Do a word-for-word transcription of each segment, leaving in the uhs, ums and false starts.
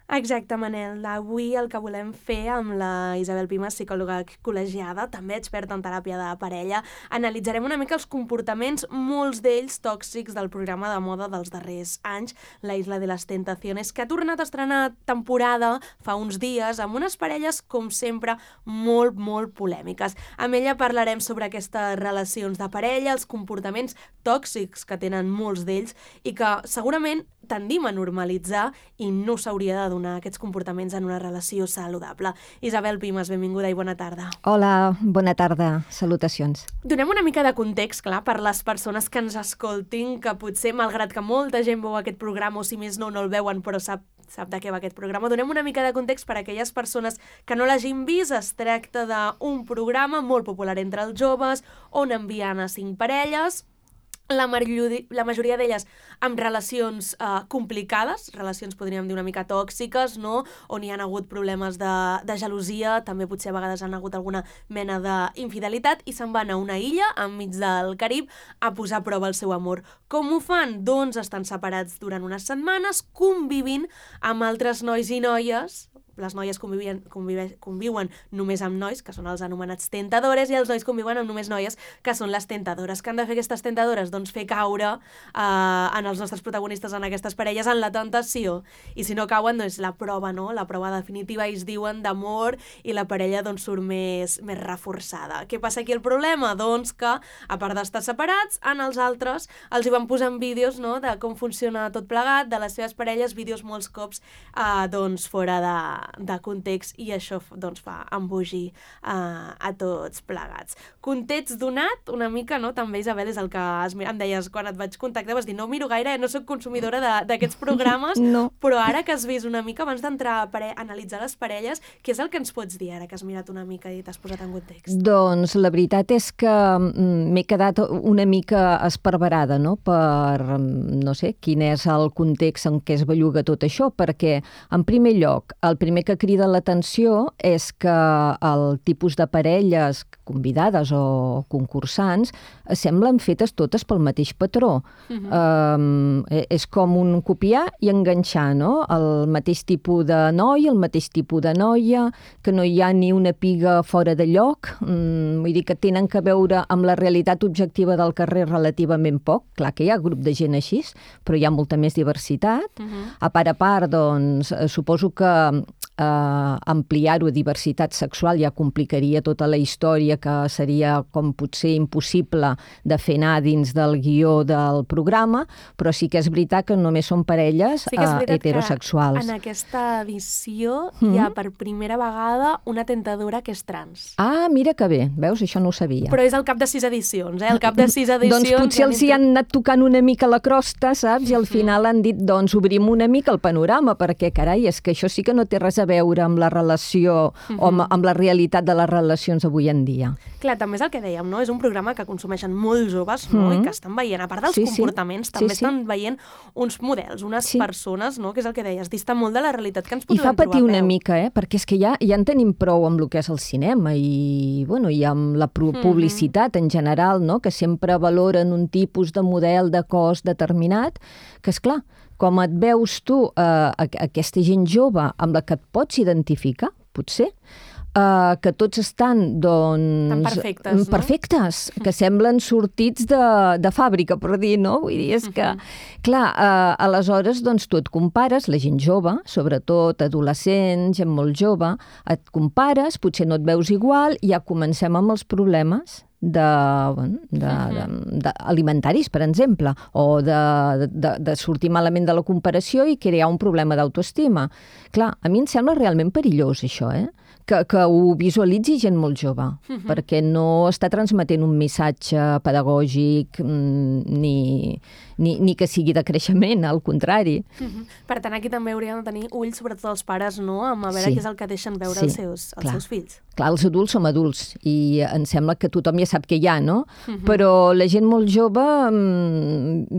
Exacte, Manel. Avui el que volem fer amb la Isabel Pimas, psicòloga col·legiada, també experta en teràpia de parella, analitzarem una mica els comportaments, molts d'ells tòxics, del programa de moda dels darrers anys, La Isla de las Tentaciones, que ha tornat a estrenar temporada fa uns dies amb unes parelles, com sempre, molt, molt polèmiques. Amb ella parlarem sobre aquestes relacions de parella, els comportaments tòxics que tenen molts d'ells i que segurament tendim a normalitzar i no s'hauria de donar aquests comportaments en una relació saludable. Isabel Pimas, benvinguda i bona tarda. Hola, bona tarda. Salutacions. Donem una mica de context, clar, per les persones que ens escoltin, que potser, malgrat que molta gent veu aquest programa, o si més no, no el veuen, però sap sap de què va aquest programa. Donem una mica de context per a aquelles persones que no l'hagin vist. Es tracta d'un programa molt popular entre els joves, on envien a cinc parelles, la, la majoria d'elles amb relacions eh, complicades, relacions podríem dir una mica tòxiques, no? On hi ha hagut problemes de, de gelosia, també potser a vegades han hagut alguna mena d'infidelitat, i se'n van a una illa enmig del Carib a posar a prova el seu amor. Com ho fan? Doncs estan separats durant unes setmanes, convivint amb altres nois i noies. Les noies convivien, convive, conviuen només amb nois, que són els anomenats tentadores, i els nois conviuen amb només noies, que són les tentadores. Què han de fer aquestes tentadores? Doncs fer caure eh, en els nostres protagonistes, en aquestes parelles, en la tentació. I si no cauen, doncs la prova, no? La prova definitiva, ells diuen, d'amor, i la parella doncs surt més, més reforçada. Què passa aquí el problema? Doncs que, a part d'estar separats, en els altres els hi van posant vídeos, no?, de com funciona tot plegat, de les seves parelles, vídeos molts cops eh, doncs fora de de context, i això doncs fa embogir uh, a tots plegats. Context donat, una mica, no? També, Isabel, és el que es, em deies quan et vaig contactar, vas dir, no miro gaire, eh? No soc consumidora d'aquests programes, no. Però ara que has vist una mica, abans d'entrar a, a analitzar les parelles, què és el que ens pots dir ara que has mirat una mica i t'has posat en context? Doncs la veritat és que m'he quedat una mica esparverada, no?, per, no sé, quin és el context en què es belluga tot això, perquè, en primer lloc, el primer que crida l'atenció és que el tipus de parelles convidades o concursants semblen fetes totes pel mateix patró. Uh-huh. Um, és com un copiar i enganxar, no? El mateix tipus de noi, el mateix tipus de noia, que no hi ha ni una piga fora de lloc, um, vull dir que tenen que veure amb la realitat objectiva del carrer relativament poc. Clar que hi ha grup de gent així, però hi ha molta més diversitat. Uh-huh. A part a part, doncs, suposo que Uh, ampliar-ho a diversitat sexual ja complicaria tota la història, que seria com potser impossible de fer anar dins del guió del programa, però sí que és veritat que només són parelles sí uh, heterosexuals. En aquesta edició mm-hmm. hi ha per primera vegada una tentadora que és trans. Ah, mira que bé, veus? Això no ho sabia. Però és al cap de sis edicions, eh? Al cap de sis edicions... Doncs potser els hi han anat tocant una mica la crosta, saps? I al final han dit, doncs obrim una mica el panorama, perquè, carai, és que això sí que no té res a veure amb la relació uh-huh. o amb, amb la realitat de les relacions avui en dia. Clar, també és el que dèiem, no? És un programa que consumeixen molt joves, no? Uh-huh. I que estan veient, a part dels sí, comportaments, sí. també sí, estan sí. veient uns models, unes sí. persones, no? Que és el que deies, dista molt de la realitat que ens podem trobar. I fa patir una mica, eh? Perquè és que ja, ja en tenim prou amb el que és el cinema i, bueno, i amb la publicitat uh-huh. en general, no? Que sempre valoren un tipus de model de cos determinat, que és clar, com et veus tu, eh, aquesta gent jove amb la que et pots identificar, potser, eh, que tots estan, doncs... Tan perfectes, no? Perfectes, que semblen sortits de, de fàbrica, per dir, no? Vull dir, és que, clar, eh, aleshores, doncs, tu et compares, la gent jove, sobretot adolescent, gent molt jove, et compares, potser no et veus igual, i ja comencem amb els problemes de, bueno, de, uh-huh. de, de alimentaris, per exemple, o de, de, de sortir malament de la comparació i crear un problema d'autoestima. Clar, a mi em sembla realment perillós això, eh? Que, que ho visualitzi gent molt jove, uh-huh. perquè no està transmetent un missatge pedagògic ni, ni, ni que sigui de creixement, al contrari. Uh-huh. Per tant, aquí també hauríem de tenir ulls, sobretot els pares, no?, amb a veure sí. què és el que deixen veure sí. els, seus, els seus fills. Clar, els adults som adults i em sembla que tothom ja sap què hi ha, no? Uh-huh. Però la gent molt jove,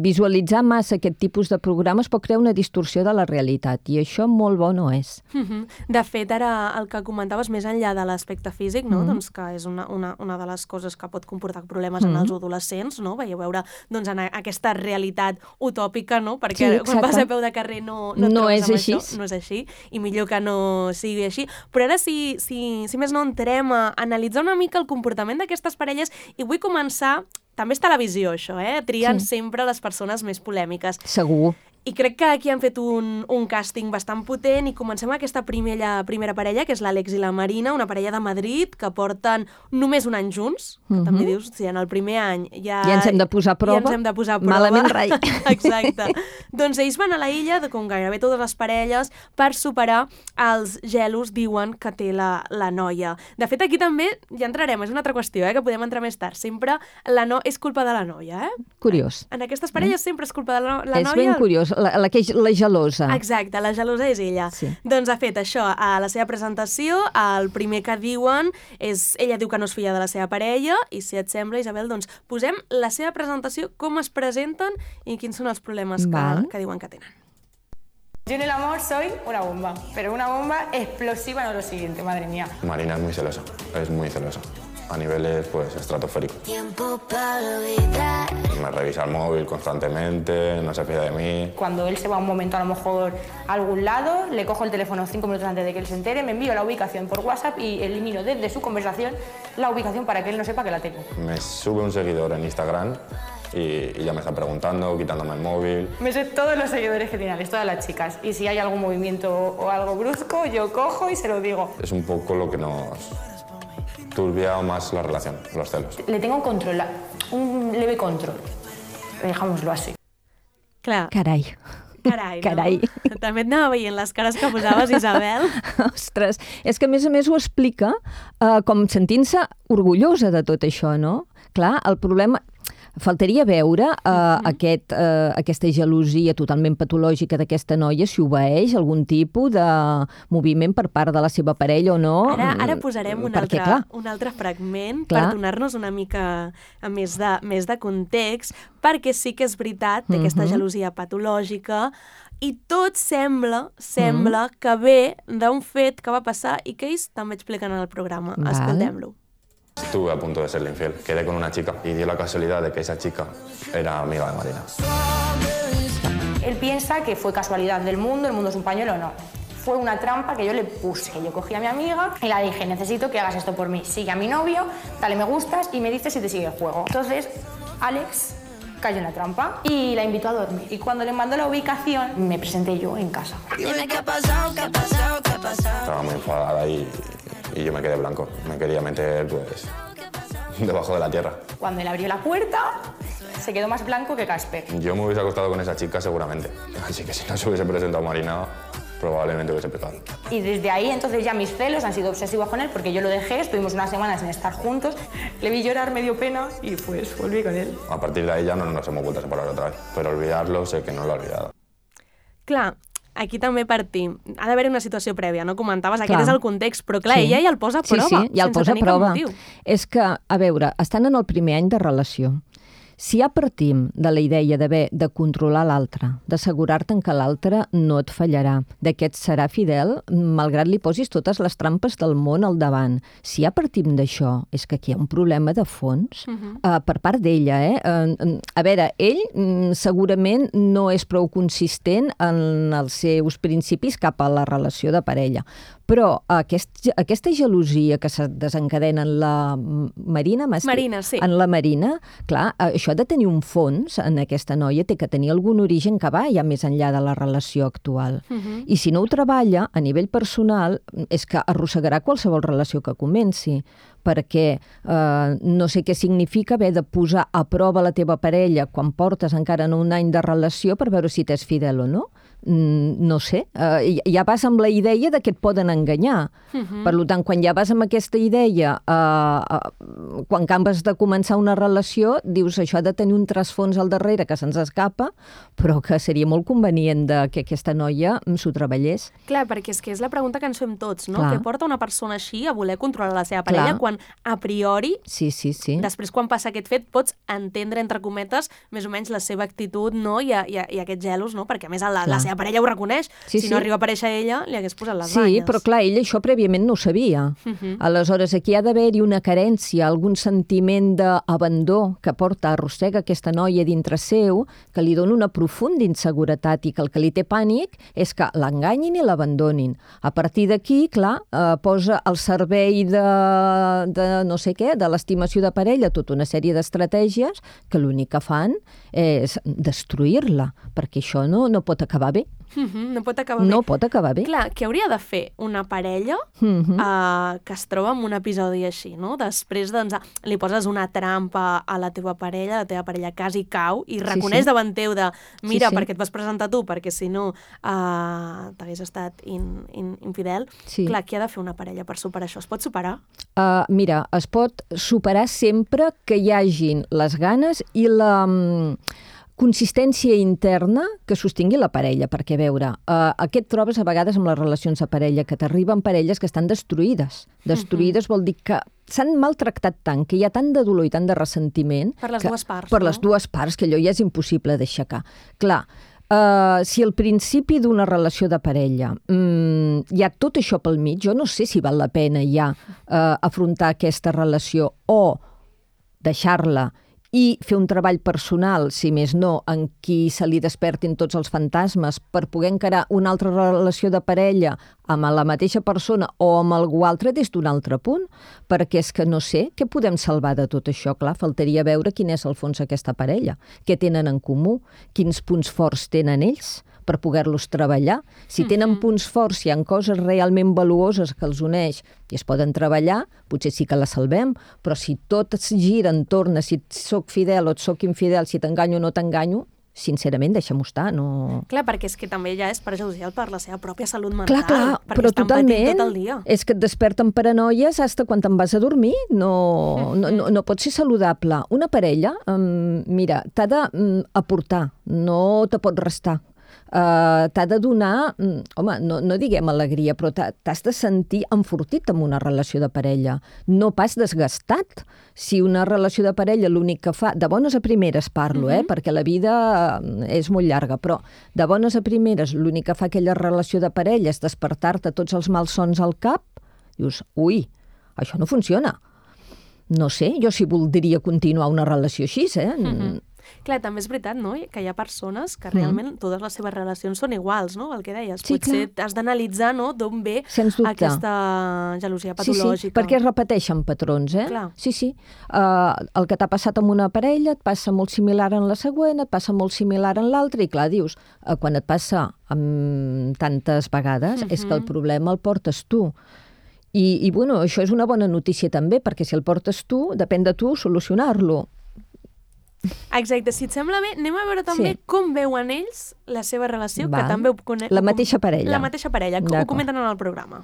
visualitzar massa aquest tipus de programes pot crear una distorsió de la realitat i això molt bo no és. Uh-huh. De fet, ara el que comentaves més enllà de l'aspecte físic, no? Mm-hmm. doncs que és una, una, una de les coses que pot comportar problemes mm-hmm. en els adolescents, no? Veieu veure doncs, en aquesta realitat realitat utòpica, no? Perquè Sí, quan vas exacte. a peu de carrer no, no et No trobes és amb així. això, no és així, i millor que no sigui així. Però ara, si, si, si més no, entrem a analitzar una mica el comportament d'aquestes parelles, i vull començar... També és televisió, això, eh? Trien Sí. sempre les persones més polèmiques. Segur. I crec que aquí han fet un, un càsting bastant potent i comencem aquesta primera, primera parella, que és l'Àlex i la Marina, una parella de Madrid que porten només un any junts, que Mhm. també dius, si en el primer any ja... Ja ens hem de posar a prova. Ja ens hem de posar a prova. Malament rai. Exacte. Doncs ells van a la illa, de com gairebé totes les parelles, per superar els gelos, diuen, que té la, la noia. De fet, aquí també ja entrarem, és una altra qüestió, eh, que podem entrar més tard. Sempre la no... és culpa de la noia, eh? Curiós. En aquestes parelles sempre és culpa de la, la és noia. ben curiós, la, la, que és la gelosa. Exacte, la gelosa és ella. Sí. Doncs ha fet això, a la seva presentació, el primer que diuen és... Ella diu que no és filla de la seva parella, i si et sembla, Isabel, doncs posem la seva presentació, com es presenten i quins són els problemes que, Val. que diuen que tenen. Yo en el amor soy una bomba, pero una bomba explosiva no lo siguiente, madre mía. Marina es muy celosa, es muy celosa. A niveles, pues, estratosféricos. Tiempo para olvidar. Me revisa el móvil constantemente, no se fía de mí. Cuando él se va un momento a lo mejor a algún lado, le cojo el teléfono cinco minutos antes de que él se entere, me envío la ubicación por WhatsApp y elimino desde su conversación la ubicación para que él no sepa que la tengo. Me sube un seguidor en Instagram y, y ya me está preguntando, quitándome el móvil. Me sé todos los seguidores que tiene Alex, todas las chicas. Y si hay algún movimiento o algo brusco, yo cojo y se lo digo. Es un poco lo que nos turbia más la relación, los celos. Le tengo un control, un leve control, dejámoslo así. Clar, Carai. carai, Carai. no? També et anava veient les cares que posaves, Isabel. Ostres, és que a més a més ho explica eh, com sentint-se orgullosa de tot això, no? Clar, el problema... Faltaria veure uh, uh-huh. aquest, uh, aquesta gelosia totalment patològica d'aquesta noia, si obeeix algun tipus de moviment per part de la seva parella o no. Ara, ara posarem un, Perquè, altre, clar, un altre fragment Clar. per donar-nos una mica a més de, més de context, perquè sí que és veritat, té aquesta Mhm. gelosia patològica, i tot sembla, sembla que ve d'un fet que va passar i que ells també expliquen en el programa. Val. Escoltem-lo. Estuve a punto de serle infiel. Quedé con una chica y dio la casualidad de que esa chica era amiga de Marina. Él piensa que fue casualidad del mundo, el mundo es un pañuelo, no. Fue una trampa que yo le puse. Yo cogí a mi amiga y la dije, necesito que hagas esto por mí. Sigue a mi novio, dale me gustas y me dices si te sigue el juego. Entonces, Alex cayó en la trampa y la invitó a dormir. Y cuando le mandó la ubicación, me presenté yo en casa. Dime qué ha pasado, qué ha pasado, qué ha pasado. Estaba muy enfadada y, y yo me quedé blanco. Me quería meter, pues, debajo de la tierra. Cuando él abrió la puerta, se quedó más blanco que Casper. Yo me hubiese acostado con esa chica seguramente. Así que si no se hubiese presentado Marina, probablemente hubiese pecado. Y desde ahí entonces ya mis celos han sido obsesivos con él porque yo lo dejé, estuvimos unas semanas sin estar juntos, le vi llorar, me dio pena y pues volví con él. A partir de ahí ya no nos hemos vuelto a separar otra vez. Pero olvidarlo sé que no lo he olvidado. Clar, aquí també partim. Ha d'haver una situació prèvia, no? Comentaves, aquest Clar. és el context, però clar, Sí. ella ja el posa a prova, Sí, sí, ja el sense posa a tenir cap prova. motiu. És que, a veure, estan en el primer any de relació. Si ja partim de la idea d'haver de controlar l'altre, d'assegurar-te'n que l'altre no et fallarà, de que et serà fidel, malgrat li posis totes les trampes del món al davant, si ja partim d'això, és que aquí hi ha un problema de fons Mhm. uh, per part d'ella. Eh? Uh, a veure, ell mm, segurament no és prou consistent en els seus principis cap a la relació de parella, però aquest, aquesta gelosia que se desencadena en la Marina, m'has dit? Marina, sí. En la Marina, clar, això ha de tenir un fons en aquesta noia, té que tenir algun origen que va ja més enllà de la relació actual. Mhm. I si no ho treballa, a nivell personal, és que arrossegarà qualsevol relació que comenci, perquè eh, no sé què significa haver de posar a prova la teva parella quan portes encara no un any de relació per veure si t'és fidel o no. Mm, no sé, uh, ja vas amb la idea de que et poden enganyar. Mhm. Per tant, quan ja vas amb aquesta idea, uh, uh, quan acabes de començar una relació, dius això ha de tenir un trasfons al darrere que se'ns escapa, però que seria molt convenient de que aquesta noia s'ho treballés. Clar, perquè és que és la pregunta que ens fem tots, no? Clar. Què porta una persona així a voler controlar la seva parella Clar. quan, a priori, Sí, sí, sí. després quan passa aquest fet, pots entendre, entre cometes, més o menys la seva actitud, no? I, i, i aquests gelos, no? Perquè a més la, la Clar. seva parella ho reconeix. Sí, si sí. no arriba a aparèixer ella, li hagués posat les Sí, banyes. però clar, ell això prèviament no ho sabia. Uh -huh. Aleshores, aquí ha d'haver-hi una carència, algun sentiment d'abandó que porta, arrossega aquesta noia dintre seu, que li dona una profunda inseguretat i que el que li té pànic és que l'enganyin i l'abandonin. A partir d'aquí, clar, eh, posa al servei de, de no sé què, de l'estimació de parella, tota una sèrie d'estratègies que l'únic que fan és destruir-la, perquè això no, no pot acabar bé. Uh -huh. No pot acabar bé. No pot acabar bé. Clar, què hauria de fer una parella Uh -huh. uh, que es troba en un episodi així, no? Després, doncs, li poses una trampa a la teva parella, la teva parella quasi cau i reconeix sí. davant teu de mira, Sí, sí. perquè et vas presentar tu, perquè si no uh, t'hagués estat in, in, infidel. Sí. Clar, què ha de fer una parella per superar això? Es pot superar? Uh, mira, es pot superar sempre que hi hagin les ganes i la um, consistència interna que sostingui la parella, perquè, a veure, uh, aquest trobes a vegades amb les relacions de parella, que t'arriben parelles que estan destruïdes. Destruïdes uh-huh. vol dir que s'han maltractat tant, que hi ha tant de dolor i tant de ressentiment... Per les que, dues parts, Per no? les dues parts, que allò ja és impossible d'aixecar. Clar, Uh, si al principi d'una relació de parella um, hi ha tot això pel mig, jo no sé si val la pena ja uh, afrontar aquesta relació o deixar-la i fer un treball personal, si més no, en qui se li despertin tots els fantasmes per poder encarar una altra relació de parella amb la mateixa persona o amb algú altre des d'un altre punt, perquè és que no sé què podem salvar de tot això. Clar, faltaria veure quin és el fons d'aquesta parella, què tenen en comú, quins punts forts tenen ells per poder-los treballar. Si tenen punts forts, si hi ha coses realment valuoses que els uneix i es poden treballar, potser sí que la salvem, però si tot es gira entorn a si soc fidel o et soc infidel, si t'enganyo o no t'enganyo, sincerament, deixa'm-ho estar, no... Clar, perquè és que també ja és perjudicial per la seva pròpia salut mental. Clar, clar, perquè però estan patint totalment. tot el dia. És que et desperten paranoies fins quan te'n vas a dormir. No, no, no, no pot ser saludable. Una parella, um, mira, t'ha d'aportar, no te pot restar. Uh, t'ha de donar, um, home, no, no diguem alegria, però t'has de sentir enfortit amb una relació de parella, no pas desgastat. Si una relació de parella l'únic que fa, de bones a primeres parlo, eh, perquè la vida és molt llarga, però de bones a primeres l'únic que fa aquella relació de parella és despertar-te tots els malsons al cap, dius, ui, això no funciona. No sé, jo sí voldria continuar una relació així, eh? Mm-hmm. Clar, també és veritat, no?, que hi ha persones que realment mm. totes les seves relacions són iguals, no?, el que deies. Sí, potser clar. has d'analitzar, no?, d'on ve aquesta gelosia patològica. Sí, sí, perquè es repeteixen patrons, eh? Clar. Sí, sí. Uh, el que t'ha passat amb una parella et passa molt similar en la següent, et passa molt similar en l'altra, i clar, dius, uh, quan et passa amb tantes vegades, mm-hmm. és que el problema el portes tu. I, i, bueno, això és una bona notícia també, perquè si el portes tu, depèn de tu solucionar-lo. Exacte, si et sembla bé, anem a veure també sí. com veuen ells la seva relació, Va. que també ho conec. La mateixa parella. La mateixa parella, ho comenten en el programa.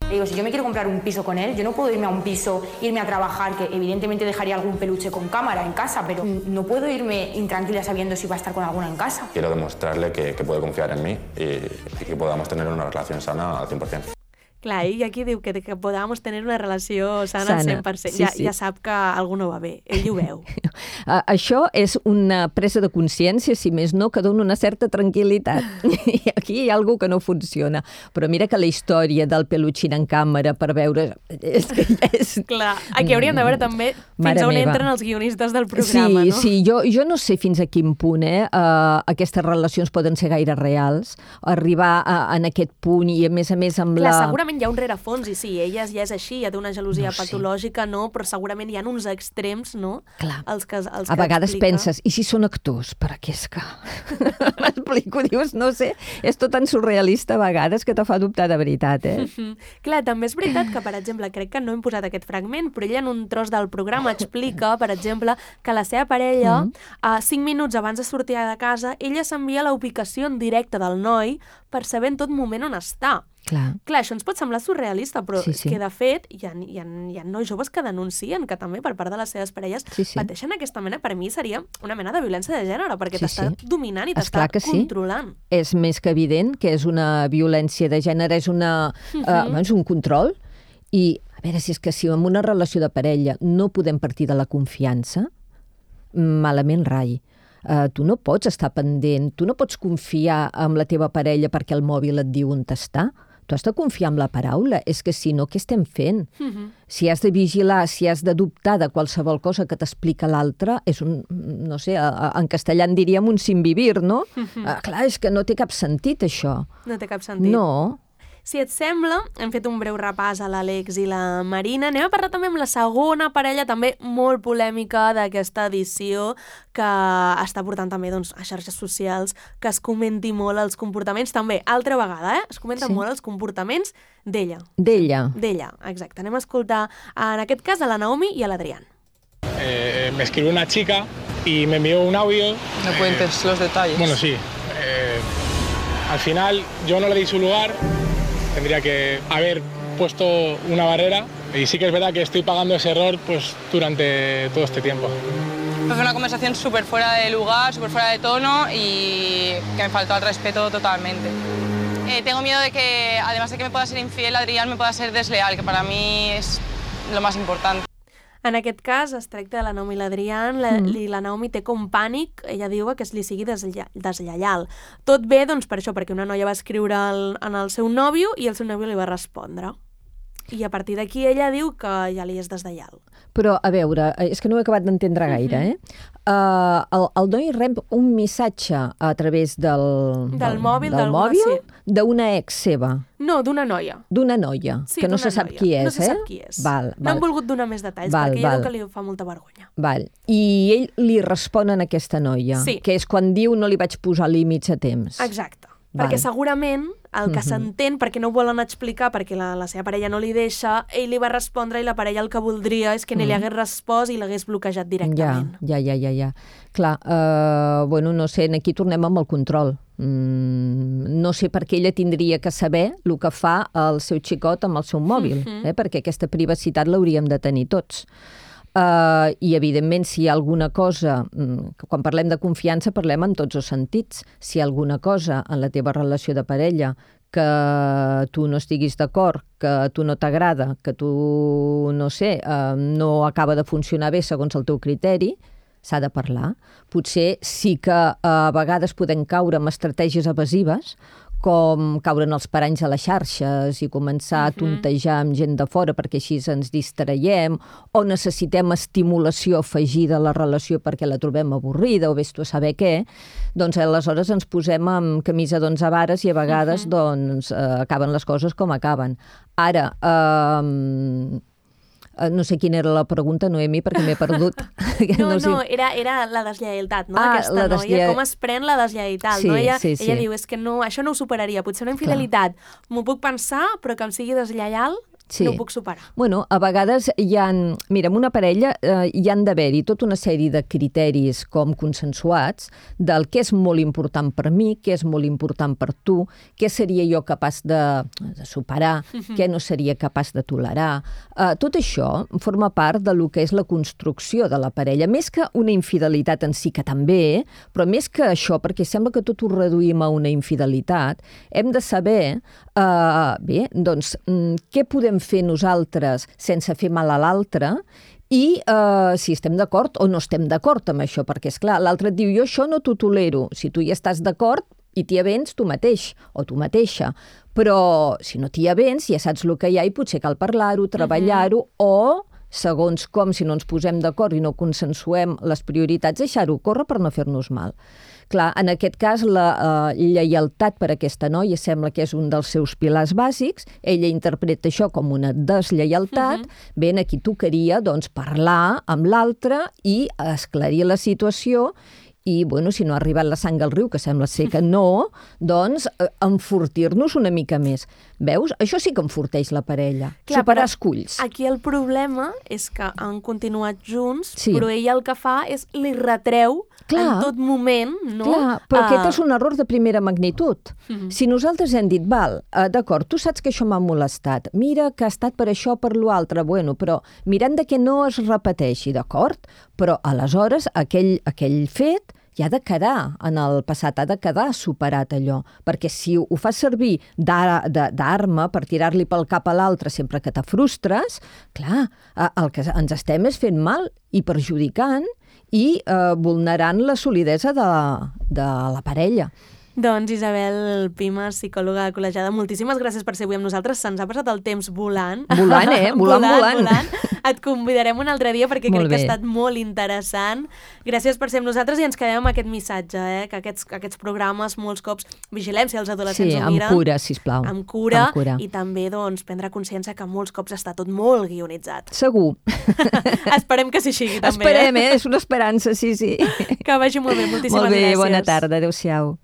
Digo, si yo me quiero comprar un piso con él, yo no puedo irme a un piso, irme a trabajar, que evidentemente dejaría algún peluche con cámara en casa, pero no puedo irme intranquila sabiendo si va a estar con alguna en casa. Quiero demostrarle que, que puede confiar en mí y, y que podamos tener una relación sana al cien por cien. Clar, i aquí diu que, que podamos tener una relació sana, sana. al cent per cent. Sí, ja, sí. ja sap que alguna no va bé, ell ho veu. Uh, això és una presa de consciència, si més no, que dona una certa tranquil·litat. I aquí hi ha alguna que no funciona. Però mira que la història del peluchín en càmera per veure... És que és... Clar, aquí hauríem de veure també fins Mare a on meva. entren els guionistes del programa, sí, no? Sí, jo, jo no sé fins a quin punt eh, uh, aquestes relacions poden ser gaire reals, arribar a, en aquest punt i, a més a més, amb Clar, la... segurament hi ha un rerefons, i sí, ella ja és així, hi ha d'una gelosia No sé. patològica, no? Però segurament hi ha uns extrems, no? Clar. Els que, els A que vegades explica. penses, i si són actors? Perquè és que... M'explico, dius, no sé, és tot tan surrealista a vegades que te fa dubtar de veritat, eh? Mm. Clar, també és veritat que, per exemple, crec que no hem posat aquest fragment, però ella en un tros del programa explica, per exemple, que la seva parella, mm. a cinc minuts abans de sortir de casa, ella s'envia la ubicació en directe del noi per saber en tot moment on està. Clar. Clar, això ens pot semblar surrealista, però Sí, és sí. que, de fet, hi ha, hi, ha, hi ha nois joves que denuncien que també per part de les seves parelles Sí, sí. pateixen aquesta mena, per mi seria una mena de violència de gènere, perquè Sí, t'està sí. dominant i Esclar t'està que sí. controlant. És més que evident que és una violència de gènere, és, una, uh, uh, és un control. I, a veure, si és que si en una relació de parella no podem partir de la confiança, malament rai. Uh, tu no pots estar pendent, tu no pots confiar en la teva parella perquè el mòbil et diu on està. Tu has de confiar en la paraula. És que si no, què estem fent? Uh-huh. Si has de vigilar, si has de dubtar de qualsevol cosa que t'explica l'altre, és un, no sé, en castellà en diríem un sin vivir, no? Uh-huh. Uh, clar, és que no té cap sentit, això. No té cap sentit. No. Si et sembla, hem fet un breu repàs a l'Àlex i la Marina. Anem a parlar també amb la segona parella, també molt polèmica d'aquesta edició, que està portant també doncs, a xarxes socials que es comenti molt els comportaments. També, altra vegada, eh? Es comenten sí. molt els comportaments d'ella. D'ella. D'ella, exacte. Anem a escoltar, en aquest cas, a la Naomi i a l'Adrián. Eh, me escribió una chica y me envió un audio. No cuentes eh, los detalles. Bueno, sí. Eh, al final yo no le di su lugar. Tendría que haber puesto una barrera y sí que es verdad que estoy pagando ese error pues, durante todo este tiempo. Fue una conversación súper fuera de lugar, súper fuera de tono y que me faltó al respeto totalmente. Eh, tengo miedo de que, además de que me pueda ser infiel, Adrián me pueda ser desleal, que para mí es lo más importante. En aquest cas es tracta de la Naomi i l'Adrián, la, mm. i la Naomi té com pànic, ella diu que es li sigui deslle deslleial. Tot bé, doncs, per això, perquè una noia va escriure el, en el seu nòvio i el seu nòvio li va respondre. I a partir d'aquí ella diu que ja li és deslleial. Però, a veure, és que no ho he acabat d'entendre gaire, eh? Uh, el, el noi rep un missatge a través del... Del, del mòbil, del mòbil sí. D'una ex seva. No, d'una noia. D'una noia, sí, que no se sap noia. qui és, no se eh? sap qui és. Val, no val. han volgut donar més detalls, val, perquè ella val. diu que li fa molta vergonya. Val. I ell li respon a aquesta noia, sí. que és quan diu no li vaig posar límits a temps. Exacte. Val. Perquè segurament el que uh-huh. s'entén, perquè no ho volen explicar, perquè la, la seva parella no li deixa, ell li va respondre i la parella el que voldria és que uh-huh. ni li hagués respost i l'hagués bloquejat directament. Ja, ja, ja, ja. Clar, uh, bueno, no sé, aquí tornem amb el control. Mm, no sé per què ella tindria que saber el que fa el seu xicot amb el seu mòbil, uh-huh. eh? Perquè aquesta privacitat l'hauríem de tenir tots. Uh, I, evidentment, si hi ha alguna cosa... Quan parlem de confiança, parlem en tots els sentits. Si hi ha alguna cosa en la teva relació de parella que tu no estiguis d'acord, que a tu no t'agrada, que tu, no sé, uh, no acaba de funcionar bé segons el teu criteri, s'ha de parlar. Potser sí que uh, a vegades podem caure en estratègies evasives, com caure en els paranys a les xarxes i començar a tontejar amb gent de fora perquè així ens distraiem, o necessitem estimulació afegida a la relació perquè la trobem avorrida o vés tu a saber què, doncs aleshores ens posem amb camisa d'onze vares i a vegades uh-huh. doncs, eh, acaben les coses com acaben. Ara, eh, no sé quina era la pregunta, Noemi, perquè m'he perdut. No, no, no era, era la deslleialtat, no? Ah, Aquesta noia, deslle... com es pren la deslleialtat, sí, no? Ella, sí, sí. ella diu, és que no, això no ho superaria, potser una infidelitat, m'ho puc pensar, però que em sigui deslleial, sí. no ho puc superar. Bueno, a vegades hi ha... Mira, en una parella eh, hi han d'haver-hi tota una sèrie de criteris com consensuats del què és molt important per mi, què és molt important per tu, què seria jo capaç de, de superar, uh-huh. què no seria capaç de tolerar. Uh, tot això forma part de lo que és la construcció de la parella. Més que una infidelitat en si, que també, però més que això, perquè sembla que tot ho reduïm a una infidelitat, hem de saber, uh, bé, doncs, mm, què podem fer nosaltres sense fer mal a l'altre i eh, si estem d'acord o no estem d'acord amb això, perquè, és clar, l'altre et diu jo això no t'ho tolero, si tu hi estàs d'acord i t'hi avens tu mateix o tu mateixa, però si no t'hi avens ja saps el que hi ha i potser cal parlar-ho, treballar-ho uh-huh. o segons com, si no ens posem d'acord i no consensuem les prioritats, deixar-ho córrer per no fer-nos mal. Clar, en aquest cas, la uh, lleialtat per a aquesta noia sembla que és un dels seus pilars bàsics. Ella interpreta això com una deslleialtat. Uh-huh. Bé, aquí tocaria doncs, parlar amb l'altre i esclarir la situació i, bueno, si no ha arribat la sang al riu, que sembla ser que no, doncs enfortir-nos una mica més. Veus? Això sí que enforteix la parella. Clar, superar esculls. Aquí el problema és que han continuat junts, sí. però ella el que fa és li retreu clar, en tot moment, no? Clar, però uh... aquest és un error de primera magnitud. Uh-huh. Si nosaltres hem dit, val, uh, d'acord, tu saps que això m'ha molestat, mira que ha estat per això, per l'altre, bueno, però mirant de que no es repeteixi, d'acord? Però aleshores aquell, aquell fet ja ha de quedar en el passat, ha de quedar superat allò, perquè si ho fas servir d'arma per tirar-li pel cap a l'altre sempre que te frustres, clar, el que ens estem és fent mal i perjudicant i eh, vulnerant la solidesa de, de la parella. Doncs Isabel Pimes, psicòloga col·legiada, moltíssimes gràcies per ser avui amb nosaltres. Se'ns ha passat el temps volant. Volant, eh? Volant, volant. volant. Et convidarem un altre dia perquè molt crec bé. que ha estat molt interessant. Gràcies per ser amb nosaltres i ens quedem amb aquest missatge, eh? Que aquests, aquests programes molts cops vigilem si els adolescents sí, ho miren. amb cura, sisplau. Amb cura, amb cura. I també doncs, prendre consciència que molts cops està tot molt guionitzat. Segur. Esperem que sí sigui també. Esperem, eh? És una esperança, sí, sí. Que vagi molt bé, moltíssimes molt bé, gràcies. Bona tarda, adéu-siau.